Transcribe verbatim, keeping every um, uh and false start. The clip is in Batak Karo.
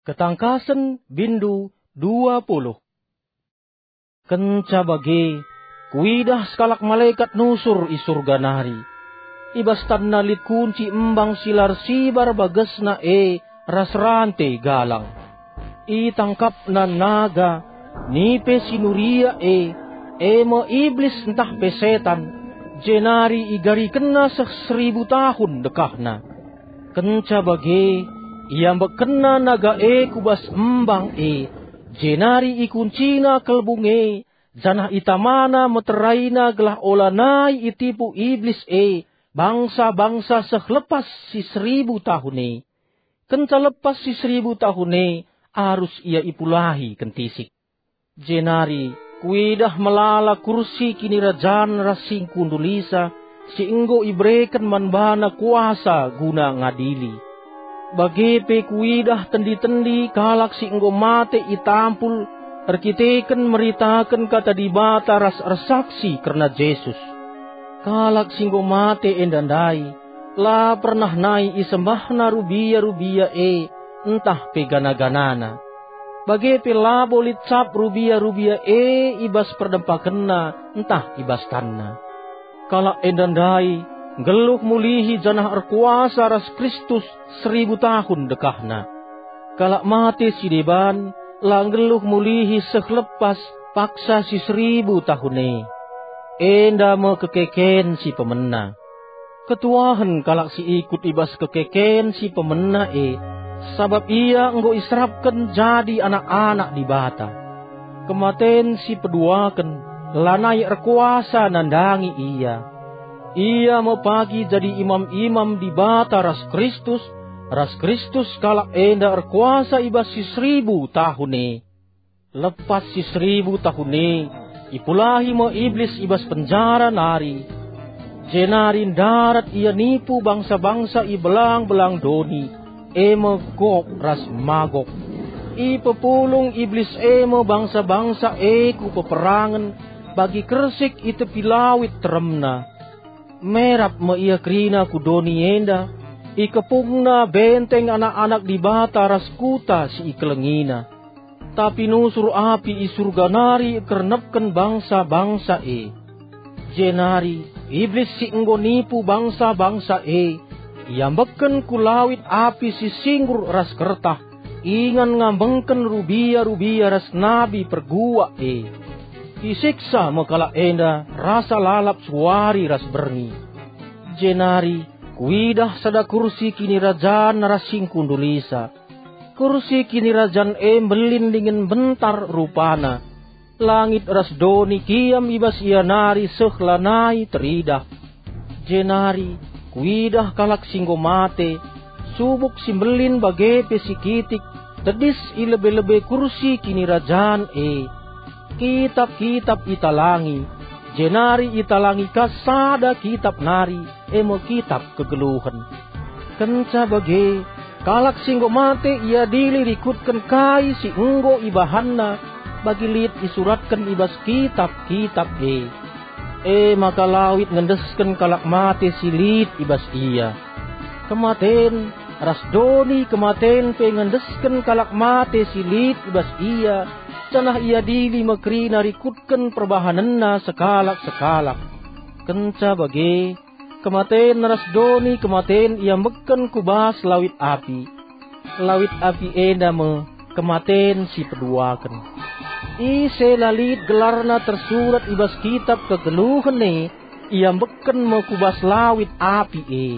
Ketangkasen, bindu dua puluh. Kenca bage, kuidah sekalak malekat nusur i Surga nari. I bas tanna lit kunci embang si la ersibar bagesna e ras rante galang. Itangkapna naga, nipe si nuria e, e me Iblis ntah pe Setan, jenari igarikenna seh seribu tahun dekahna. Kenca bage, iambekkenna naga e ku bas embang e, jenari ikuncina kelbung e, janah itamana meteraina gelah olanai itipu Iblis e bangsa-bangsa seh lepas si seribu tahun e. Kenca lepas si seribu tahun e, arus ia ipulahi kentisik. Jenari kuidah melala kursi kinirajan ras singkundulisa si enggo ibereken man bana kuasa guna ngadili. Bage pe kuidah tendi-tendi kalak si enggo mate itampul erkiteken meritaken Kata Dibata ras ersaksi kerna Jesus. Kalak si enggo mate enda ndai la pernah nai isembahna rubia-rubia e ntah pe gana-ganana. Bage pe labo lit cap rubia-rubia e i bas perdempakenna ntah i bas tanna. Kalak enda ndai nggeluh mulihi janah erkuasa ras Kristus seribu tahun dekahna. Kalak mate si deban la nggeluh mulihi seh lepas paksa si seribu tahun e. Enda me kekeken si pemena. Ketuahen kalak si ikut i bas kekeken si pemena e, sabap ia enggo iserapken jadi anak-anak Dibata. Kematen si peduaken lanai erkuasa nandangi ia. Ia me pagi jadi imam-imam Dibata ras Kristus, ras Kristus kalak enda erkuasa i bas si seribu tahun e. Lepas si seribu tahun e, ipulahi me Iblis i bas penjara nari. Jenari ndarat ia nipu bangsa-bangsa i belang-belang doni, e me Gog ras Magog. Ipepulung Iblis e me bangsa-bangsa e ku peperangen bagi kersik i tepi lawit teremna. Merap me ia kerina ku doni enda, ikepungna benteng anak-anak Dibata ras kuta si ikelengina. Tapi nusur api i Surga nari ikernepken bangsa-bangsa e. Jenari Iblis si enggo nipu bangsa-bangsa e iambekken ku lawit api si singgur ras kertah, ingan ngambengken rubia-rubia ras nabi perguak e. Isiksa me kalak enda rasa lalap suari ras berngi. Jenari kuidah sada kursi kinirajan ras singkundulisa. Kursi kinirajan e mbelin dingen mbentar rupana. Langit ras doni kiam i bas ia nari seh lanai teridah. Jenari kuidah kalak si enggo mate, subuk si mbelin bage pe si kitik, tedis i lebe-lebe kursi kinirajan e. Kitap-kitap italangi, jenari italangi ka sada kitap nari, e me kitap kegeluhen. Kenca bage, kalak si enggo mate iadili rikutken kai si enggo ibahanna bagi lit isuratken i bas kitap-kitap e. E maka lawit ngendesken kalak mate si lit i bas ia. Kematen ras doni kematen pe ngendesken kalak mate si lit i bas ia, janah iadili me kerina rikutken perbahanenna sekalak-sekalak. Kenca bage, kematen ras doni kematen iambekken ku bas lawit api. Lawit api enda me kematen si peduaken. Ise la lit gelarna tersurat i bas kitap kegeluhen e, iambekken me ku bas lawit api e.